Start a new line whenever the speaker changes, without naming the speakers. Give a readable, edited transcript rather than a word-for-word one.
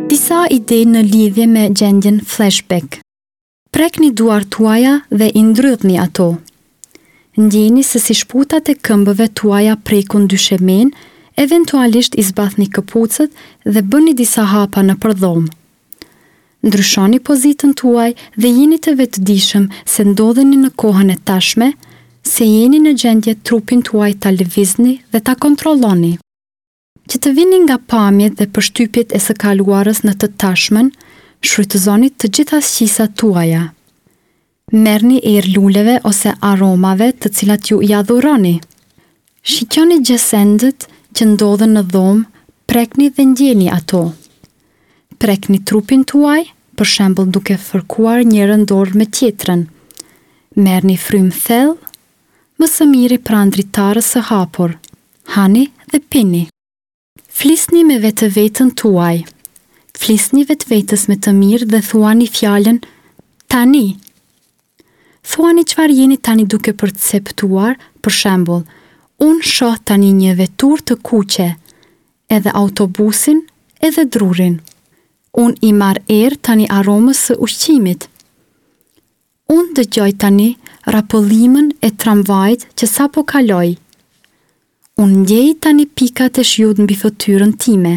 Disa ide në lidhje me gjendjen flashback. Prekni duart tuaja dhe i ndrydhni ato. Ndjeni se si shputat e këmbëve tuaja prekun dyshemenë, eventualisht i zbathni këpucët dhe bëni disa hapa nëpër dhomë. Ndryshoni pozitën tuaj dhe jini të vetëdijshëm se ndodheni në kohën e tashme, se jeni në gjendje trupin tuaj ta lëvizni dhe ta kontrolloni. Që të vini nga pamjet dhe përshtypjet e së kaluarës në të tashmen, shfrytëzoni të gjitha shqisat tuaja. Merrni erë luleve ose aromave të cilat ju i adhuroni. Shikjoni gjësendet që ndodhen në dhomë, prekni dhe ndjeni ato. Prekni trupin tuaj, për shembull duke fërkuar njërën dorë me tjetrën. Merrni frymë thellë, më së miri pranë dritares së hapur. Hani dhe pini. Flisni me vetëveten tuaj. Flisni vetvetes me të mirë dhe thuani fjalën tani. Thuani çfarë jeni tani duke perceptuar, për shembull, unë shoh tani një veturë të kuqe, edhe autobusin, edhe drurin. Unë i marr erë tani aromës së ushqimit. Unë dëgjoj tani rrapëllimën e tramvajit që sapo kaloi. Unë ndjej tani pikat e shiut mbi fytyrën time.